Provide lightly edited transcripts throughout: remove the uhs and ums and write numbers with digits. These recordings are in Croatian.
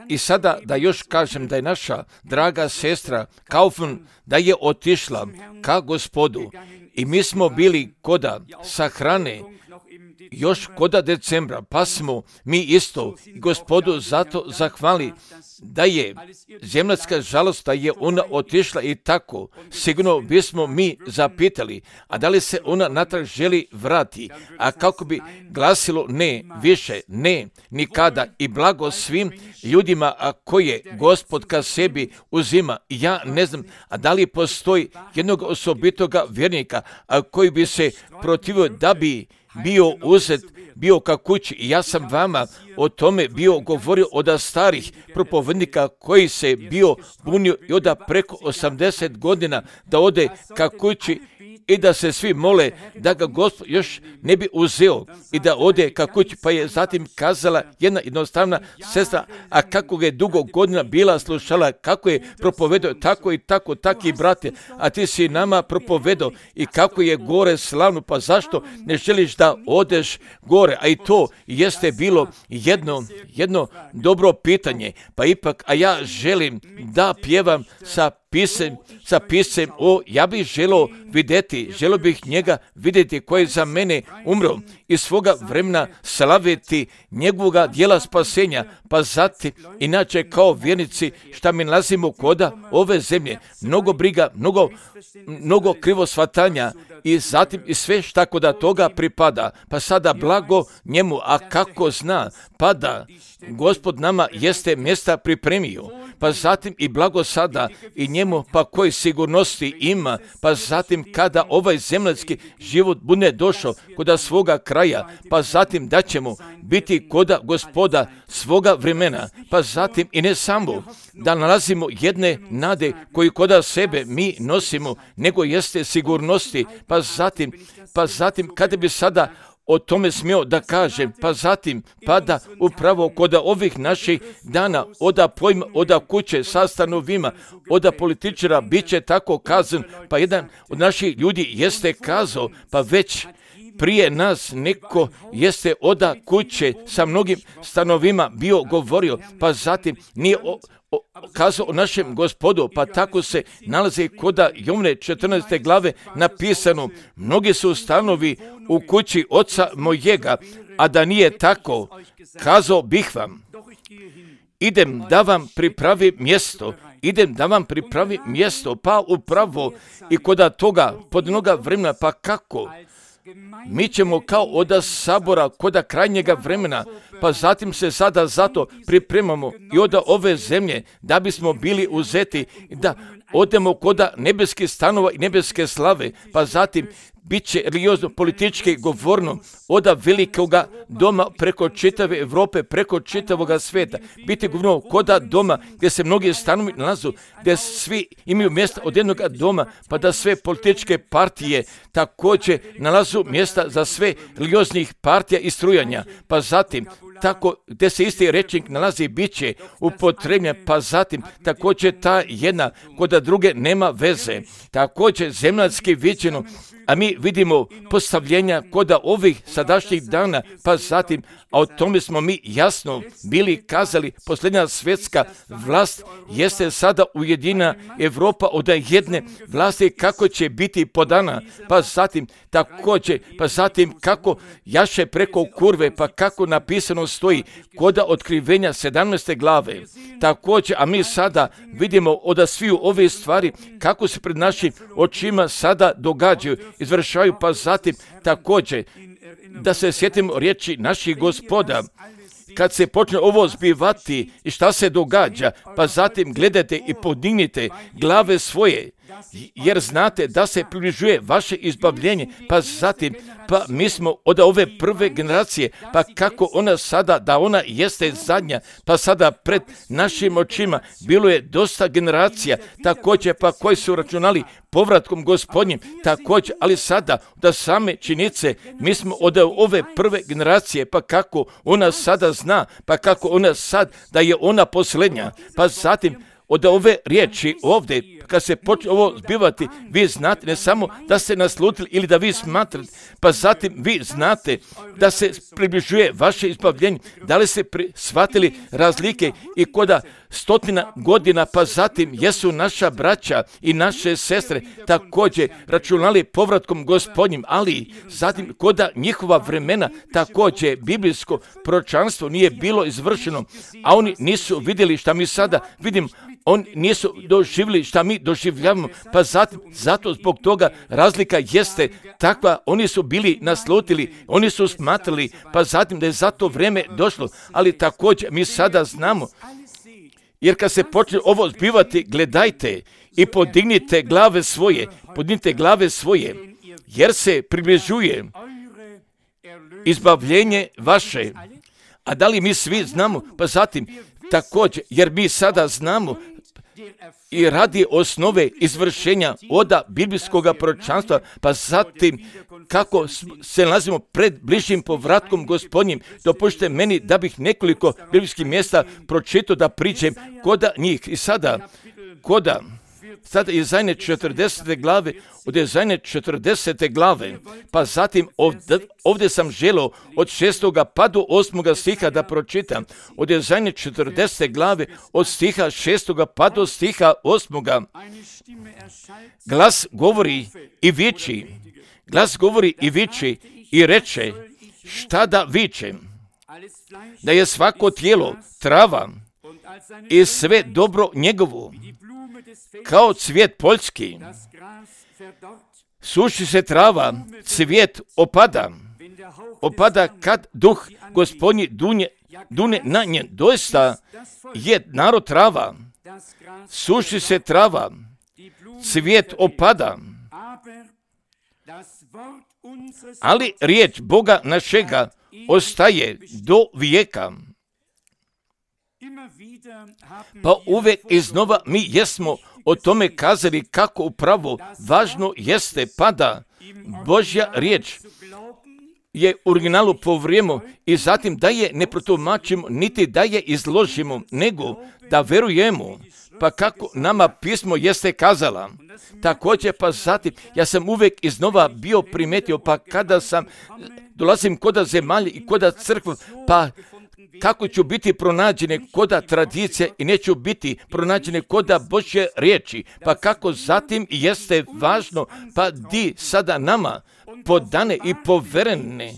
I sada da još kažem da je naša draga sestra Kaufmann da je otišla ka Gospodu i mi smo bili koda sahrane još koda decembra, pa smo mi isto Gospodu zato zahvali da je zemaljska žalost, da je ona otišla i tako. Sigurno bismo mi zapitali, a da li se ona natrag želi vrati, a kako bi glasilo ne, više, ne, nikada i blago svim ljudima, a koje Gospod ka sebi uzima. Ja ne znam, a da li postoji jednog osobitoga vjernika, a koji bi se protivio da bi bio uzet, bio ka kući. I ja sam vama o tome bio govorio od starih propovednika koji se bio bunio i oda preko 80 godina da ode ka kući i da se svi mole da ga Gospod još ne bi uzeo i da ode ka kući. Pa je zatim kazala jedna jednostavna sestra, a kako ga je dugo godina bila slušala, kako je propovedao tako i tako, taki brate, a ti si nama propovedao i kako je gore slavno, pa zašto ne želiš da odeš gore? A i to jeste bilo jedno dobro pitanje, pa ipak, a ja želim da pjevam sa pisem, ja bih želio bih njega vidjeti koji je za mene umro i svoga vremena slaviti njegovoga dijela spasenja, pa zatim, inače kao vjernici šta mi nalazimo koda ove zemlje, mnogo briga, mnogo krivo shvatanja i zatim i sve šta koda toga pripada, pa sada blago njemu, a kako zna, pa da Gospod nama jeste mjesta pripremio, pa zatim i blago sada i njemu, pa koji sigurnosti ima, pa zatim kada ovaj zemaljski život bude došao koda svoga kraja, pa zatim da ćemo biti koda Gospoda svoga vremena, pa zatim i ne samo da nalazimo jedne nade koji koda sebe mi nosimo, nego jeste sigurnosti, pa zatim kada bi sada o tome smio da kažem, pa zatim pada upravo kod ovih naših dana, oda kuće sa stanovima, oda političara bit će tako kazan, pa jedan od naših ljudi jeste kazao, pa već prije nas neko jeste oda kuće sa mnogim stanovima bio govorio, pa zatim nije kazao o našem Gospodu, pa tako se nalazi koda Jovne 14. glave napisano, mnogi su stanovi u kući oca mojega, a da nije tako, kazao bih vam, idem da vam pripravi mjesto, pa upravo i koda toga pod mnoga vremena, pa kako? Mi ćemo kao oda sabora koda krajnjega vremena, pa zatim se sada zato pripremamo i oda ove zemlje da bismo bili uzeti i da odemo koda nebeskih stanova i nebeske slave, pa zatim bit će religiozno politički govorno oda velikoga doma preko čitave Europe, preko čitavoga svijeta. Biti govorno koda doma gdje se mnogi stanovi nalazu, gdje svi imaju mjesta od jednog doma, pa da sve političke partije također nalazu mjesta za sve religioznih partija i strujanja, pa zatim tako gdje se isti rečnik nalazi bit će upotrebljen, pa zatim također ta jedna koda druge nema veze, također zemaljski viđeno, a mi vidimo postavljenja koda ovih sadašnjih dana, pa zatim, a o tome smo mi jasno bili kazali, posljednja svjetska vlast jeste sada ujedinjena Europa od jedne vlasti, kako će biti podana, pa zatim također, pa zatim kako jaše preko kurve, pa kako napisano stoji koda otkrivenja 17. glave, također, a mi sada vidimo od sviju ove stvari kako se pred našim očima sada događaju, izvršavaju, pa zatim također da se sjetimo riječi naših Gospoda, kad se počne ovo zbivati i šta se događa, pa zatim gledajte i podignite glave svoje, jer znate da se približuje vaše izbavljenje, pa zatim, pa mi smo od ove prve generacije, pa kako ona sada, da ona jeste zadnja, pa sada pred našim očima bilo je dosta generacija, također pa koji su računali povratkom Gospodnjim, također, ali sada da same činice, mi smo od ove prve generacije, pa kako ona sada zna, pa kako ona sad, da je ona posljednja, pa zatim od ove riječi ovdje, kad se počne ovo zbivati, vi znate ne samo da ste naslutili ili da vi smatrate, pa zatim vi znate da se približuje vaše izbavljenje. Da li ste shvatili razlike i koda 100 godina, pa zatim jesu naša braća i naše sestre također računali povratkom Gospodnjim, ali zatim koda njihova vremena također biblijsko proročanstvo nije bilo izvršeno, a oni nisu vidjeli šta mi sada vidimo, oni nisu doživjeli šta mi doživljavamo, pa zatim, zato zbog toga razlika jeste takva, oni su bili naslutili, oni su smatrali, pa zatim da je za to vrijeme došlo, ali također mi sada znamo, jer kad se počne ovo zbivati, gledajte i podignite glave svoje, jer se približuje izbavljenje vaše. A da li mi svi znamo? Pa zatim također, jer mi sada znamo i radi osnove izvršenja oda biblijskog proročanstva, pa zatim kako se nalazimo pred bližim povratkom Gospodnjim, dopustite meni da bih nekoliko biblijskih mjesta pročitao da priđem koda njih. I sada Izaije 40. glave, od Izaije 40. glave, pa zatim ovdje sam želio od 6. pa do 8. stiha da pročitam. Od Izaije 40. glave, od stiha 6. pa do stiha 8. Glas govori i viči i reče, šta da vičem? Da je svako tijelo trava i sve dobro njegovo, kao cvijet poljski. Suši se trava, cvijet opada kad duh Gospodnji dune na njen. Doista je narod trava, suši se trava, cvijet opada, ali riječ Boga našega ostaje do vijeka. Pa uvijek iznova mi jesmo o tome kazali kako upravo važno jeste pada Božja riječ je u originalu po vrijemu i zatim da je ne protumačimo niti da je izložimo, nego da verujemo, pa kako nama pismo jeste kazala. Također pa zatim ja sam uvijek iznova bio primetio, pa kada sam dolazim koda zemalje i koda crkva, pa kako ću biti pronađene koda tradicije i neću biti pronađene koda Božje riječi, pa kako zatim jeste važno, pa di sada nama podane i poverene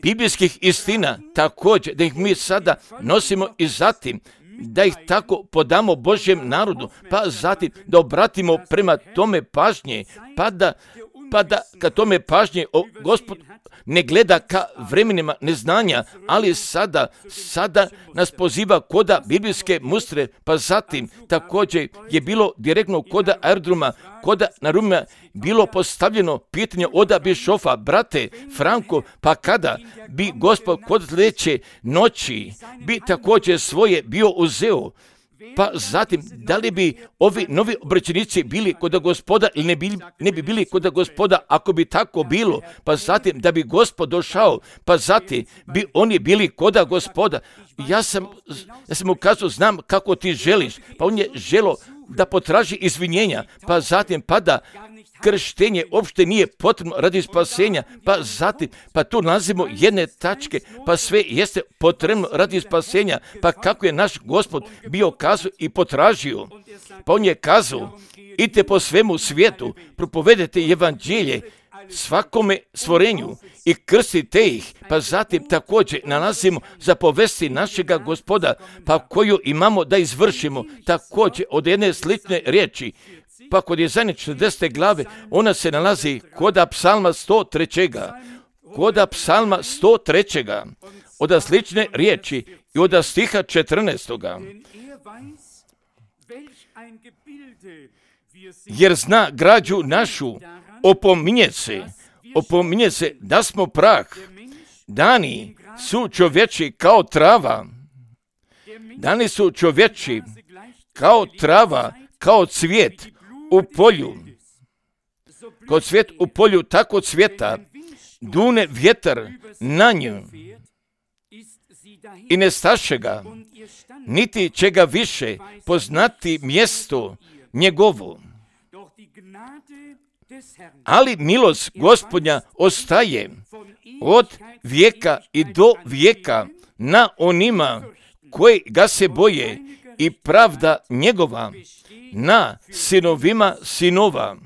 biblijskih istina, također da ih mi sada nosimo i zatim da ih tako podamo Božjem narodu, pa zatim da obratimo prema tome pažnje, pa da ka tome pažnje Gospod ne gleda ka vremenima neznanja, ali sada nas poziva koda biblijske mustre, pa zatim također je bilo direktno koda aerodroma, koda na Rumima bilo postavljeno pitanje oda bišofa, brate Franko, pa kada bi Gospod kod sljedeće noći bi također svoje bio uzeo, pa zatim, da li bi ovi novi obraćenici bili kod Gospoda ili ne bi bili kod Gospoda ako bi tako bilo, pa zatim da bi Gospod došao, pa zatim bi oni bili kod Gospoda. Ja sam mu kazao, znam kako ti želiš, pa on je želio da potraži izvinjenja, pa zatim da krštenje uopšte nije potrebno radi spasenja, pa zatim, pa tu nalazimo jedne tačke, pa sve jeste potrebno radi spasenja, pa kako je naš Gospod bio kazao i potražio, pa on je kazao, idite po svemu svijetu, propovedete evanđelje svakome stvorenju i krstite ih, pa zatim također nalazimo za povesti našega Gospoda, pa koju imamo da izvršimo, također od jedne slične riječi, pa kod Izaije 40. glave ona se nalazi koda psalma 103. Koda psalma 103. Od slične riječi i od stiha 14. Jer zna građu našu, opominje se da smo prah. Dani su čovječi kao trava. Dani su čovječi kao trava, kao cvijet u polju. Kao cvijet u polju tako cvjeta, dune vjetar na nju i ne staše ga, niti će ga više poznati mjesto njegovo. Ali milost Gospodnja ostaje od vijeka i do vijeka na onima koji ga se boje i pravda njegova na sinovima sinova,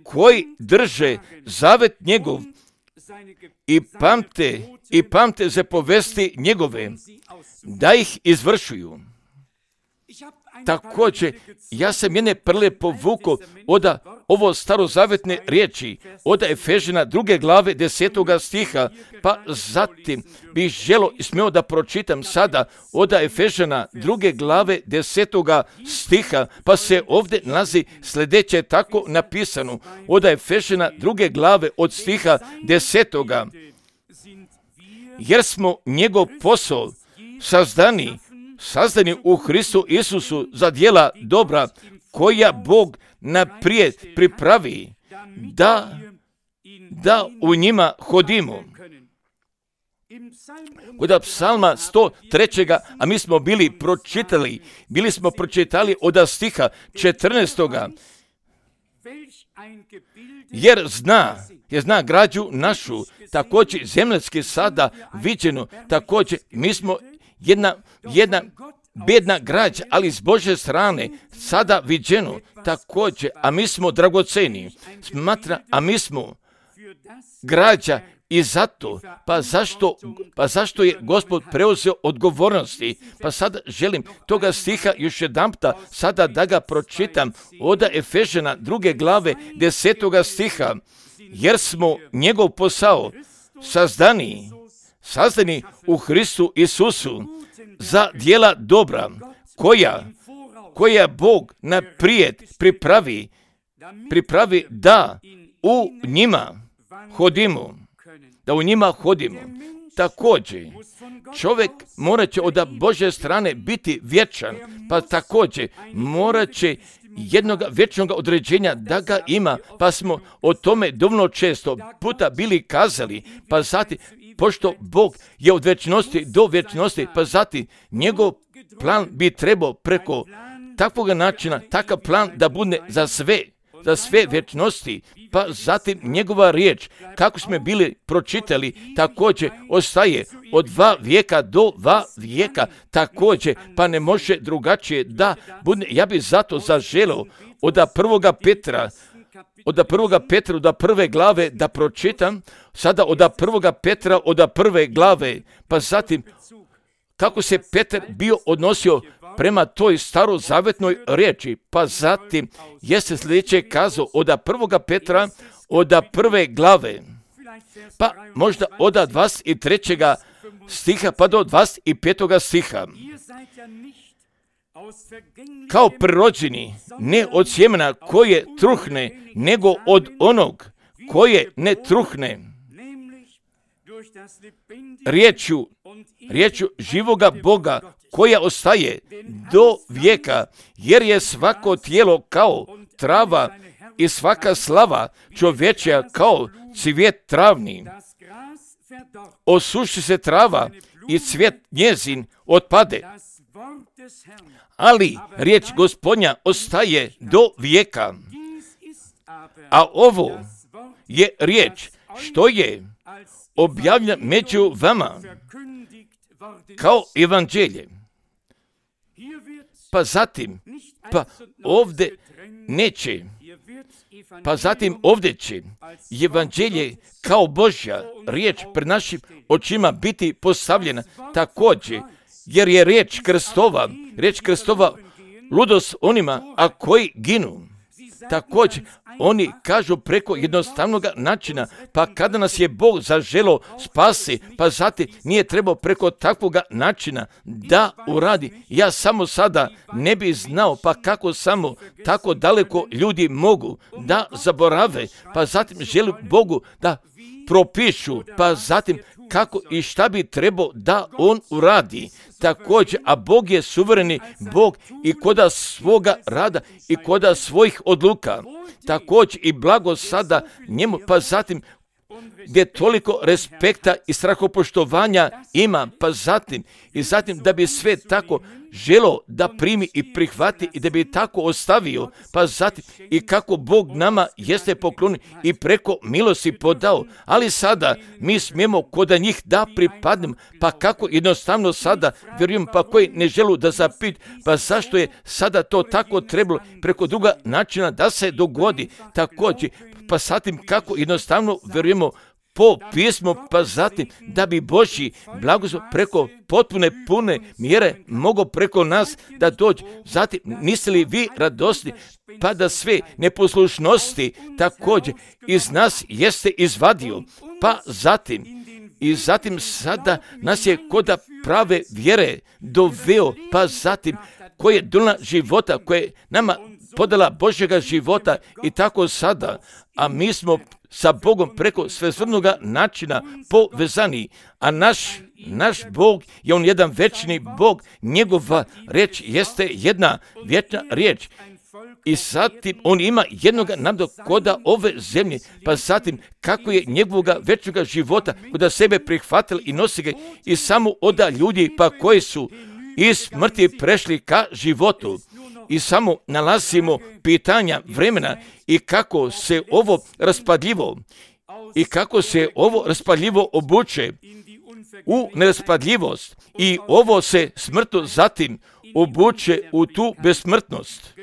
koji drže zavet njegov i pamte zapovesti njegove, da ih izvršuju. Također, ja sam jedne prle povukao od ovo starozavetne riječi, od Efežana 2. glave 10. stiha, pa zatim bih želio i smio da pročitam sada od Efežana 2. glave 10. stiha, pa se ovdje nalazi sljedeće tako napisano, od Efežana 2. glave od stiha 10. Jer smo njegov posao sazdani u Hristu Isusu za djela dobra, koja Bog naprijed pripravi da u njima hodimo. Kod psalma 103. a mi smo bili smo pročitali od stiha 14. Jer zna građu našu, također zemljski sada viđeno, također mi smo jedna bedna građa, ali s Božje strane sada viđeno također, a mi smo dragoceni, a mi smo građa i zato, pa zašto je Gospod preuzeo odgovornosti? Pa sada želim toga stiha još jedanputa sada da ga pročitam od Efežana 2. glave 10. stiha, jer smo njegov posao sazdani u Hristu Isusu za djela dobra, koja Bog naprijed pripravi da u njima hodimo. Također, čovjek morat će od Božje strane biti vječan, pa također morat će jednog vječnog određenja da ga ima, pa smo o tome dovoljno često puta bili kazali, pa zatim, pošto Bog je od vječnosti do vječnosti, pa zatim njegov plan bi trebao preko takvog načina, takav plan da bude za sve vječnosti, pa zatim njegova riječ, kako smo bili pročitali, također ostaje od 2 vijeka do 2 vijeka, također, pa ne može drugačije da bude. Ja bih zato zaželio od 1. Petra, od 1. glave da pročitam, sada od 1. Petra, od 1. glave, pa zatim kako se Petar bio odnosio prema toj starozavetnoj riječi, pa zatim jeste sljedeće kazao od 1. Petra, od 1. glave, pa možda od 23. stiha pa do 25. stiha. Kao prirođeni, ne od sjemena koje truhne, nego od onog koje ne truhne, riječju živoga Boga koja ostaje do vijeka, jer je svako tijelo kao trava i svaka slava čovječja kao cvijet travni. Osuši se trava i cvijet njezin otpade, ali riječ Gospodnja ostaje do vijeka. A ovo je riječ što je objavljena među vama kao evanđelje. Pa zatim, ovdje će evanđelje kao Božja riječ pred našim očima biti postavljena također, jer je riječ Kristova ludost onima, a koji ginu. Također, oni kažu preko jednostavnog načina, pa kada nas je Bog zaželio spasi, pa zatim nije trebao preko takvog načina da uradi. Ja samo sada ne bi znao, pa kako samo tako daleko ljudi mogu da zaborave, pa zatim želim Bogu da propišu, pa zatim kako i šta bi trebao da on uradi. Također, a Bog je suvereni Bog i koda svoga rada i koda svojih odluka. Također i blago sada njemu, pa zatim gdje toliko respekta i strahopoštovanja ima, pa zatim da bi sve tako želo da primi i prihvati i da bi tako ostavio, pa zatim i kako Bog nama jeste poklonio i preko milosti podao, ali sada mi smijemo kod njih da pripadnemo, pa kako jednostavno sada vjerujem, pa koji ne želu da zapit, pa zašto je sada to tako trebalo preko druga načina da se dogodi također, pa zatim kako jednostavno vjerujemo po pismu, pa zatim da bi Božji blagoslov preko potpune pune mjere mogao preko nas da dođe. Zatim, niste li vi radosni, pa da sve neposlušnosti također iz nas jeste izvadio, pa zatim sada nas je kod prave vjere doveo, pa zatim koje je dolina života, koje je nama podala Božjega života i tako sada, a mi smo sa Bogom preko svestrvnoga načina povezani, a naš Bog je on jedan večni Bog, njegova riječ jeste jedna vječna riječ. I zatim on ima jednoga naroda koda ove zemlje, pa zatim kako je njegovoga večnoga života koda sebe prihvatili i nosi ga i samo oda ljudi pa koji su iz smrti prešli ka životu. I samo nalazimo pitanja vremena i kako se ovo raspadljivo obuče u neraspadljivost i ovo se smrtno zatim obuče u tu besmrtnost.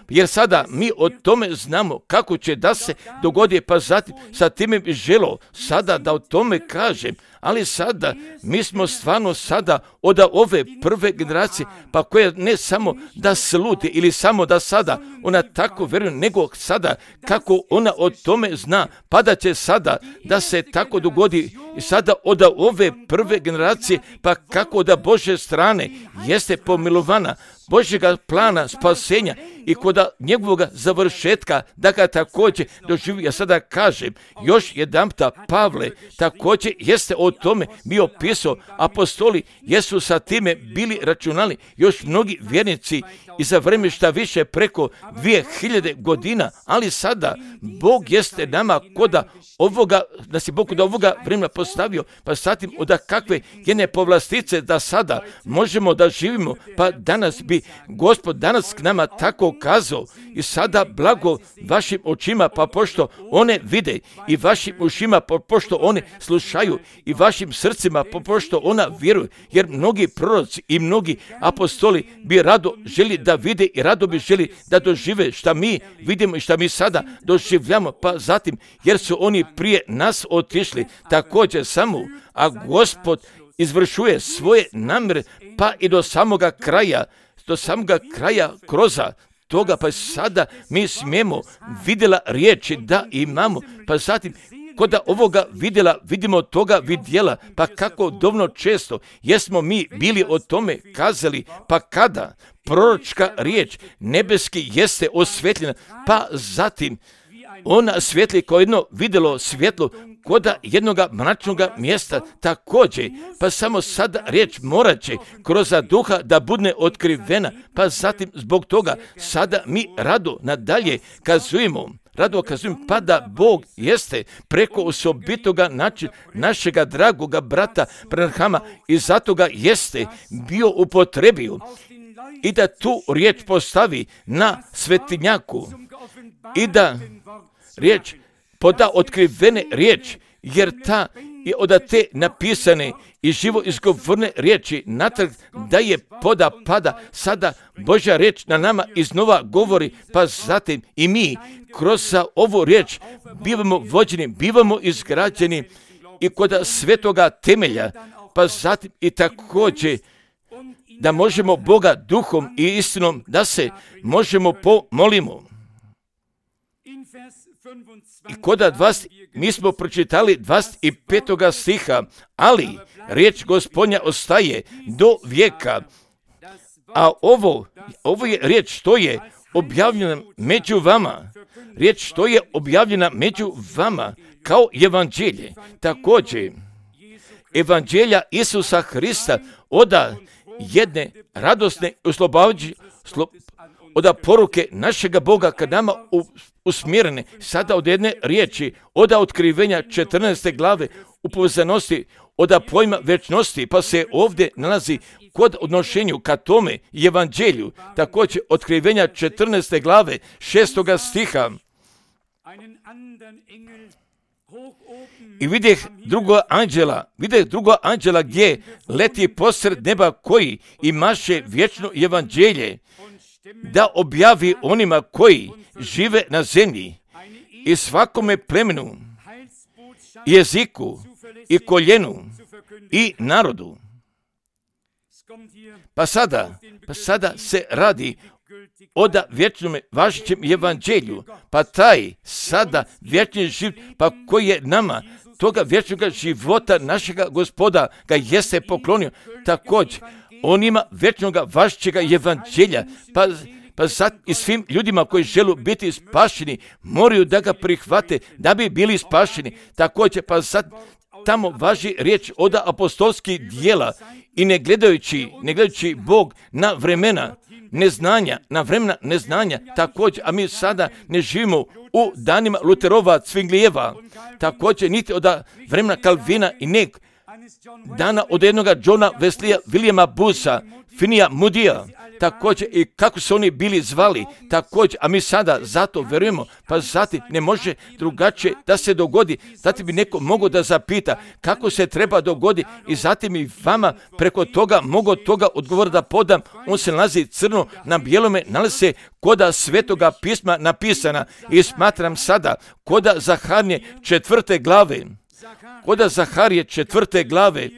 Jer sada mi o tome znamo kako će da se dogodi, pa zatim sa time bi želo sada da o tome kažem, ali sada mi smo stvarno sada od ove prve generacije, pa koja ne samo da sluti ili samo da sada ona tako vjeruje, nego sada kako ona o tome zna, pa da će sada da se tako dogodi i sada od ove prve generacije, pa kako da Božje strane jeste pomilovana Božjega plana spasenja i kod njegovog završetka da ga također doživi. Ja sada kažem, još jedanputa Pavle također jeste o tome bio pisao, apostoli jesu sa time bili računali, još mnogi vjernici i za vrijeme šta više preko 2000 godina, ali sada Bog jeste nama nas je Bog kod ovoga vremena postavio, pa zatim od kakve jedne povlastice da sada možemo da živimo, pa danas bi Gospod danas k nama tako kazao i sada blago vašim očima, pa pošto one vide i vašim ušima, pa pošto one slušaju i vašim srcima, pa pošto ona vjeruju, jer mnogi proroci i mnogi apostoli bi rado želi da vide i rado bi želi da dožive šta mi vidimo i šta mi sada doživljamo, pa zatim jer su oni prije nas otišli također samo, a Gospod izvršuje svoje namjere pa i do samoga kraja kroza toga, pa sada mi smijemo vidjela riječi da imamo, pa zatim kod ovoga vidimo toga vidjela, pa kako dovoljno često jesmo mi bili o tome kazali, pa kada proročka riječ nebeski jeste osvetljena, pa zatim ona svijetli kao jedno vidjelo svjetlo kod jednoga mračnoga mjesta također, pa samo sada riječ morat će kroz duha da bude otkrivena, pa zatim zbog toga sada mi rado nadalje kazujemo, pa da Bog jeste preko osobitoga načina našega dragoga brata Branhama i zato ga jeste bio upotrebio i da tu riječ postavi na svetinjaku i da riječ poda otkrivene riječ, jer ta je od te napisane i živo izgovorne riječi natrag da je pada sada Božja riječ na nama iznova govori, pa zatim i mi kroz ovu riječ bivamo vođeni, bivamo izgrađeni i kod svetoga temelja, pa zatim i također da možemo Boga duhom i istinom da se možemo pomolimo. I kod mi smo pročitali 25. stiha, ali riječ Gospodnja ostaje do vijeka, a ovo je riječ što je objavljena među vama, riječ što je objavljena među vama kao evanđelje. Također, evanđelja Isusa Hrista od jedne radosne oslobađajuće od poruke našega Boga kad nama usmjerene sada od jedne riječi, od otkrivenja 14. glave u povezanosti od pojma večnosti, pa se ovdje nalazi kod odnošenju ka tome evanđelju, također otkrivenja 14. glave 6. stiha. I vidjeh drugog anđela gdje leti posred neba koji imaše vječno evanđelje da objavi onima koji žive na zemlji i svakome plemenu, jeziku i koljenu i narodu. Pa sada se radi o vječnom važećem evanđelju, pa taj sada vječni život, pa koji je nama toga vječnog života našega Gospoda ga jeste poklonio, također on ima vječnog važećega evanđelja, pa sad i svim ljudima koji žele biti spašeni moraju da ga prihvate da bi bili spašeni. Također pa sad tamo važi riječ od apostolskih dijela i ne gledajući Bog na vremena neznanja, također, a mi sada ne živimo u danima Luterova, Cvinglijeva, također niti od vremena Kalvina i nek dana od jednoga Johna Wesleya, Williama Bootha, Finneyja Moodyja, također i kako su oni bili zvali, također, a mi sada zato verujemo, pa zatim ne može drugačije da se dogodi, zatim bi neko mogao da zapita kako se treba dogoditi i zatim i vama preko toga mogu toga odgovora da podam, on se nalazi crno na bijelome, nalazi se koda Svetoga pisma napisana i smatram sada koda Zaharije 4. glave,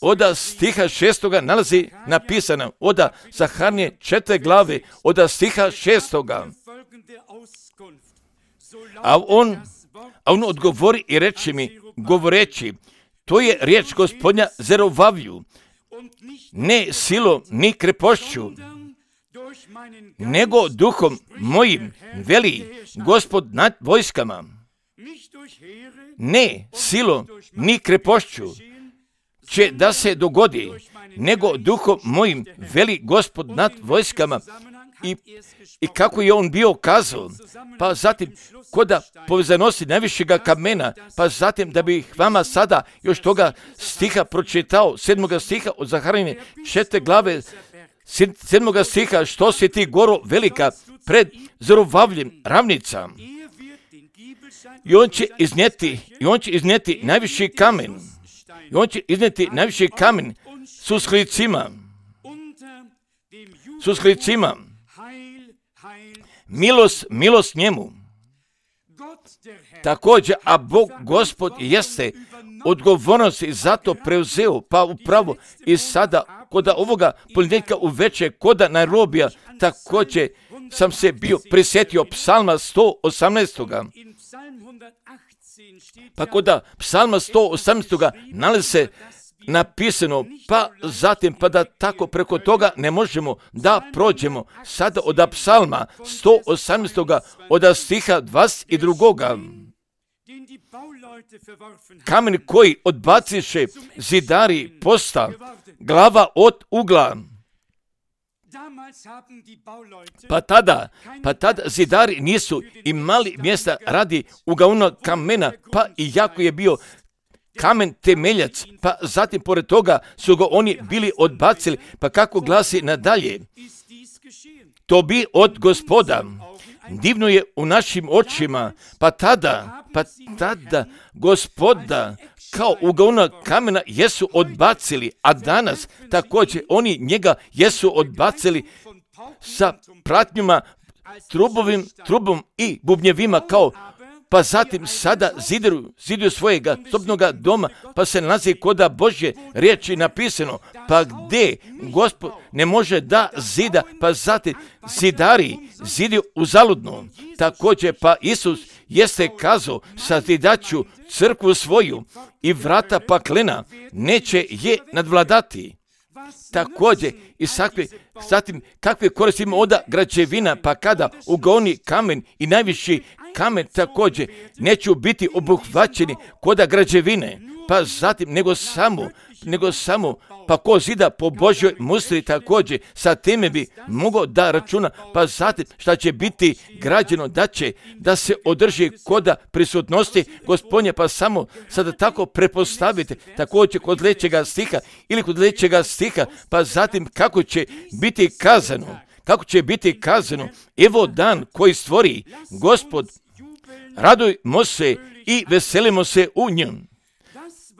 od stiha 6. nalazi napisano, od Zaharije 4. glave, od stiha 6. A on odgovori i reče mi, govoreći, to je riječ Gospodnja Zerovavlju, ne silom ni krepošću, nego duhom mojim, veli Gospod nad vojskama. Ne silom ni krepošću će da se dogodi, nego duhom mojim, veli Gospod nad vojskama. I kako je on bio kazao, pa zatim koda povezanosti najvišega kamena, pa zatim da bih vama sada još toga stiha pročitao, 7. stiha od Zaharije 4. glave, 7. stiha, što si ti goro velika pred Zerovavljem ravnica. I on će iznijeti najviši kamen. I on će iznijeti najviši kamen s usklicima. Milost njemu. Također, a Bog Gospod jeste odgovornost i zato preuzeo, pa upravo i sada koda ovoga ponedjeljka uveče, koda Nairobija, također sam se bio prisjetio psalma 118. Pa koda psalma 118. nalazi se napisano, pa zatim pa da tako preko toga ne možemo da prođemo sada od psalma 118. od stiha 22. Kamen koji odbaciše zidari posta, glava od ugla. Pa tada zidari nisu imali mjesta radi ugaonog kamena, pa i jako je bio kamen temeljac, pa zatim pored toga su ga oni bili odbacili, pa kako glasi nadalje, to bi od Gospoda. Divno je u našim očima, pa tada Gospoda kao ugaonog kamena jesu odbacili, a danas također oni njega jesu odbacili sa pratnjima, trubom i bubnjevima kao, pa zatim sada ziduju svojega sobnoga doma, pa se nalazi koda Božje riječi napisano, pa gdje Gospod ne može da zida, pa zatim zidari ziduju uzaludno. Također pa Isus jeste kazao, sazidaću crkvu svoju i vrata paklena neće je nadvladati. Također i zatim kakve koristimo od građevina, pa kada ugaoni kamen i najviši kamen također neću biti obuhvaćeni koda građevine, pa zatim nego samo pa ko zida po Božjoj musli također sa time bi mogao da računa, pa zatim šta će biti građeno da se održi koda prisutnosti Gospodnje, pa samo sada tako prepostavite također kod trećega stiha ili kod trećega stiha, pa zatim kako će biti kazano, evo dan koji stvori Gospod, radujmo se i veselimo se u njemu.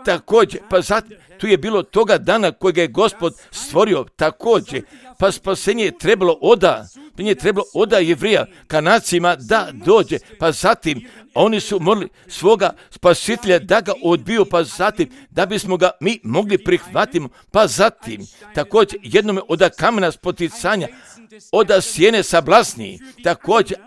Također, pa zatim, tu je bilo toga dana kojega je Gospod stvorio također, pa spasenje je trebalo oda Jevrija Kanacima da dođe, pa zatim oni su morali svoga spasitelja da ga odbiju, pa zatim da bismo ga mi mogli prihvatiti, pa zatim također jednome oda kamena spoticanja, oda sjene sablasniji, također,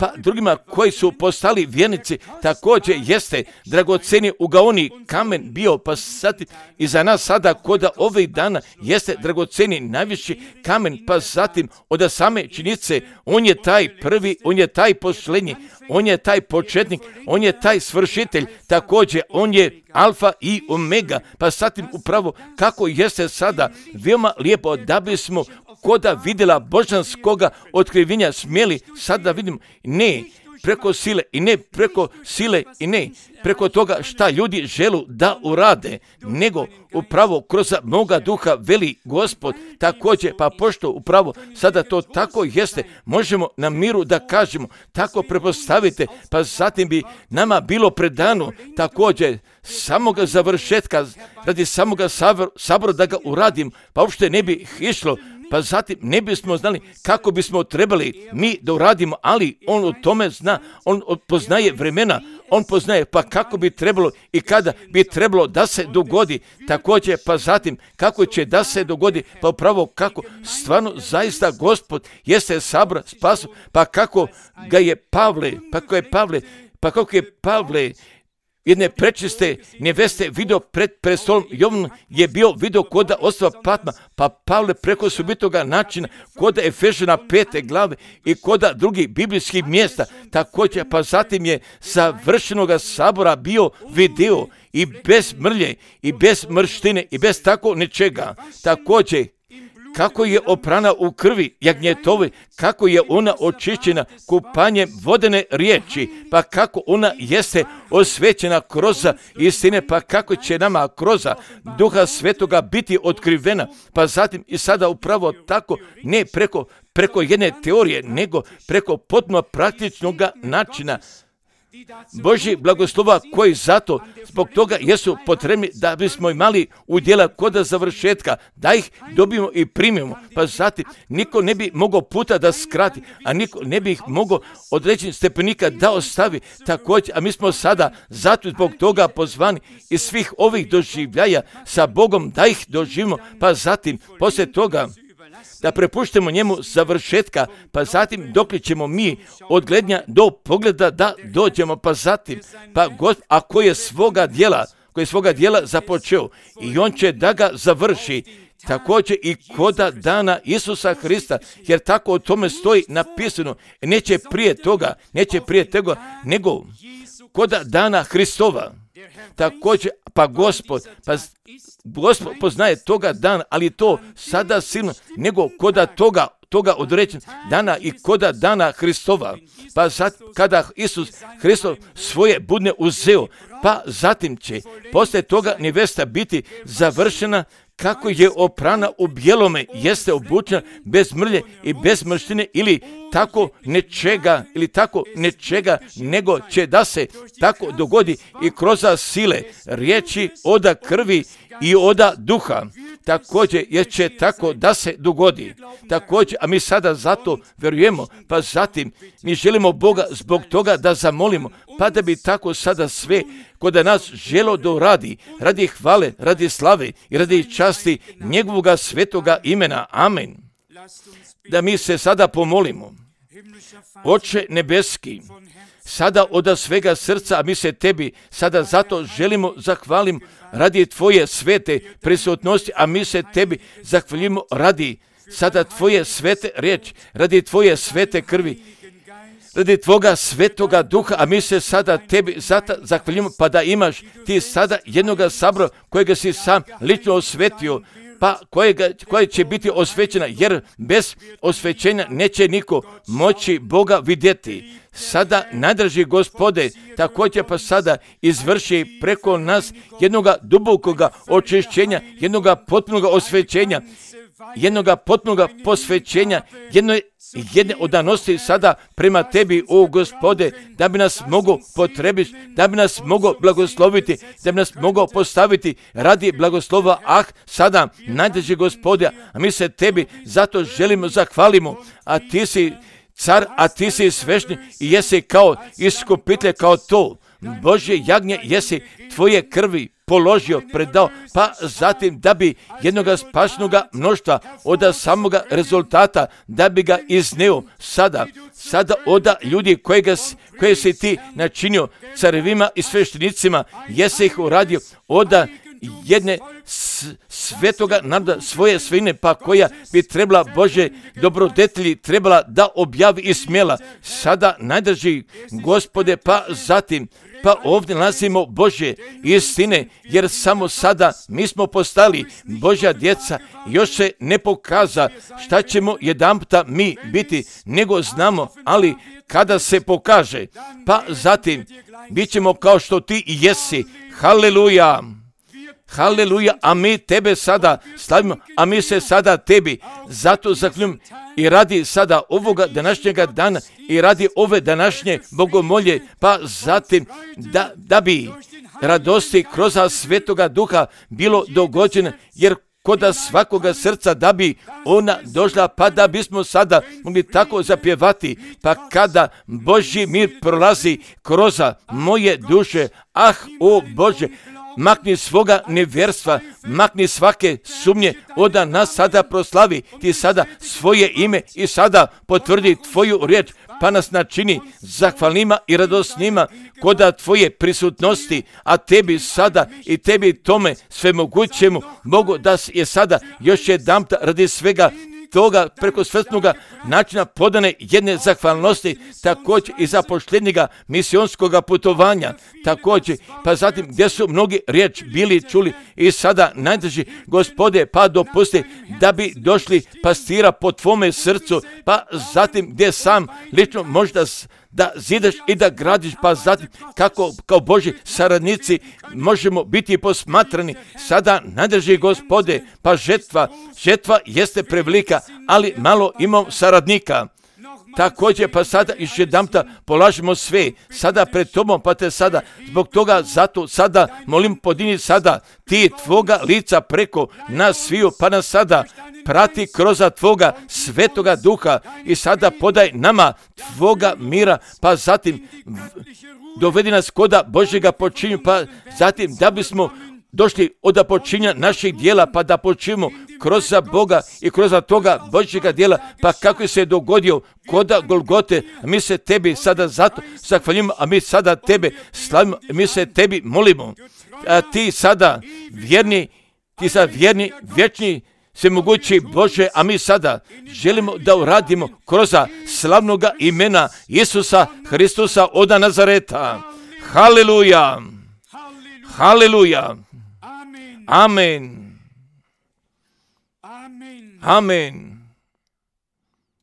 pa drugima koji su postali vjernici također jeste dragoceni ugaoni kamen bio, pa zatim i za nas sada koda ovih dana jeste dragoceni najviši kamen, pa zatim od same činjenice on je taj prvi, on je taj posljednji, on je taj početnik, on je taj svršitelj, također on je alfa i omega, pa zatim upravo kako jeste sada veoma lijepo da bismo koda vidjela božanskoga otkrivenja smjeli sad da vidimo, ne preko sile i ne preko toga šta ljudi želu da urade, nego upravo kroz moga duha veli Gospod također, pa pošto upravo sada to tako jeste, možemo na miru da kažemo, tako prepostavite, pa zatim bi nama bilo predano također samoga završetka, radi samoga sabora da ga uradim, pa uopšte ne bi išlo, pa zatim ne bismo znali kako bismo trebali mi da uradimo, ali on o tome zna, on poznaje vremena, on poznaje pa kako bi trebalo i kada bi trebalo da se dogodi, također pa zatim kako će da se dogodi, pa upravo kako stvarno zaista Gospod jeste sabra spasu, pa kako je Pavle jedne prečiste neveste video pred prestolom, Jovan je bio video koda ostrva Patma, pa Pavle preko subitoga načina koda Efežana 5. glave i koda drugih biblijskih mjesta, također pa zatim je savršenoga sabora bio video i bez mrlje i bez mrštine i bez tako nečega, također kako je oprana u krvi jagnjetove, kako je ona očišćena kupanjem vodene riječi, pa kako ona jeste osvećena kroz istine, pa kako će nama kroz Duha Svetoga biti otkrivena, pa zatim i sada upravo tako, ne preko jedne teorije, nego preko potpuno praktičnog načina Božji blagoslova koji zato zbog toga jesu potrebni da bismo imali udjela koda završetka, da ih dobijemo i primimo, pa zatim niko ne bi mogao puta da skrati, a niko ne bi ih mogao određenih stepenika da ostavi također, a mi smo sada zato zbog toga pozvani iz svih ovih doživljaja sa Bogom da ih doživimo, pa zatim poslije toga da prepuštemo njemu završetka, pa zatim dok ćemo mi od gledanja do pogleda da dođemo, pa zatim, pa Gospod, a koji je svoga djela započeo i on će da ga završi, također i koda dana Isusa Hrista, jer tako o tome stoji napisano, neće prije toga, nego koda dana Hristova. Također, pa Gospod poznaje toga dana, ali to sada silno, nego koda toga određen dana i koda dana Hristova. Pa sad, kada Isus Hristov svoje budne uzeo, pa zatim će poslije toga nevesta biti završena, kako je oprana u bijelome, jeste obučena bez mrlje i bez mrštine ili tako nečega, nego će da se tako dogodi i kroz sile riječi oda krvi i oda duha. Također jer će tako da se dogodi. Također, a mi sada zato vjerujemo, pa zatim mi želimo Boga zbog toga da zamolimo, pa da bi tako sada sve kod nas želo da uradi, radi hvale, radi slave i radi časti njegovoga svetoga imena. Amen. Da mi se sada pomolimo. Oče nebeski, sada od svega srca, a mi se tebi sada zato želimo zahvalim radi tvoje svete prisutnosti, a mi se tebi zahvalimo radi sada tvoje svete riječi, radi tvoje svete krvi, radi Tvoga svetoga duha, a mi se sada Tebi zato zahvaljujemo, pa da imaš Ti sada jednoga sabora kojega si sam lično osvetio, pa koja će biti osvećena, jer bez osvećenja neće niko moći Boga vidjeti. Sada, najdraži Gospode, također pa sada izvrši preko nas jednoga dubokoga očišćenja, jednoga potpunoga osvećenja, jednoga potpunoga posvećenja, jedne odanosti sada prema Tebi, o Gospode, da bi nas mogo potrebiti, da bi nas mogo blagosloviti, da bi nas mogo postaviti radi blagoslova. Sada, najdraži Gospode, a mi se Tebi zato želimo zahvalimo, a Ti si car, a Ti si svešni i jesi kao iskupitelj, kao to Božje jagnje, jesi Tvoje krvi položio, predao, pa zatim da bi jednoga spašnoga mnoštva od samoga rezultata, da bi ga izneo sada oda ljudi koje si Ti načinio carevima i sveštenicima, jesi ih uradio oda jedne svetoga naroda, svoje svine, pa koja bi trebala Bože dobrodetelji trebala da objavi i smjela. Sada, najdraži Gospode, pa zatim pa ovdje nalazimo Božje istine, jer samo sada mi smo postali Božja djeca, još se ne pokaza šta ćemo jedanputa mi biti, nego znamo, ali kada se pokaže, pa zatim bit ćemo kao što Ti i jesi. Haleluja! Haleluja, a mi Tebe sada slavimo, a mi se sada Tebi zato zahvaljujemo i radi sada ovoga današnjega dana i radi ove današnje bogomolje, pa zatim da bi radosti kroz svetoga duha bilo dogođeno, jer kod svakoga srca da bi ona došla, pa da bismo sada mogli tako zapjevati, pa kada Božji mir prolazi kroz moje duše, o Bože, makni svoga nevjerstva, makni svake sumnje, oda nas sada proslavi Ti sada svoje ime i sada potvrdi Tvoju riječ, pa nas načini zahvalnima i radosnima koda Tvoje prisutnosti, a Tebi sada i Tebi tome svemogućemu mogu da je sada još jedanput radi svega toga preko svesnoga načina podane jedne zahvalnosti, također i zapošljenjega misionskoga putovanja, također, pa zatim gdje su mnogi riječ bili čuli i sada najdraži Gospode, pa dopusti da bi došli pastira po Tvome srcu, pa zatim gdje sam lično možda da zidaš i da gradiš, pa zatim kako kao Božji saradnici možemo biti posmatrani. Sada, najdraži Gospode, pa žetva jeste prevelika, ali malo imam saradnika. Također, pa sada još jedanputa polažemo sve sada pred Tobom, pa Te sada zbog toga zato sada molim podini sada Ti Tvoga lica preko nas sviju, pa nas sada prati kroz Tvoga svetoga duha i sada podaj nama Tvoga mira, pa zatim dovedi nas koda Božjega počinju, pa zatim da bismo došli od počinja naših dijela, pa da počinimo kroz Boga i kroz toga Božjega dijela, pa kako se dogodio koda Golgote, mi se Tebi sada zato zahvaljujemo, a mi sada Tebe slavimo, mi se Tebi molimo, a Ti sada vjerni, vječni, svemogući Bože, a mi sada želimo da uradimo kroz slavnoga imena Isusa Hristusa od Nazareta. Haleluja! Haleluja! Amen! Amen!